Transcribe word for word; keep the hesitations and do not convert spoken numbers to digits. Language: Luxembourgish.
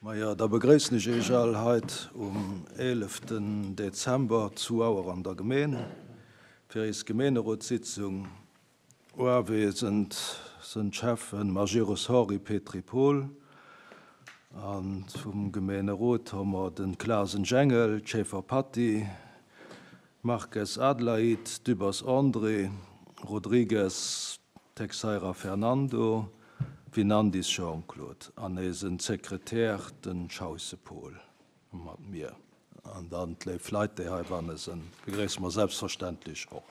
Majo, da begréissen ech Iech all heit um eeleften Dezember zu Auer an der Gemeen fir eis Gemeenerotssitzung. Uawesend sënn d'Schäffen Majerus Henri, Petry Paul, an vum Gemeenerot hu mer den Clasen Jengel, Schaeffer Patty, Marques Adelaide, Dübbers André, Rodrigues Texeira Fernando, Winandis Jean-Claude an eisen Sekretär den Schausse Paul mat mir. An dann d'léif Leit, déi heibanne sinn, begréisse mer selbstverständlech och.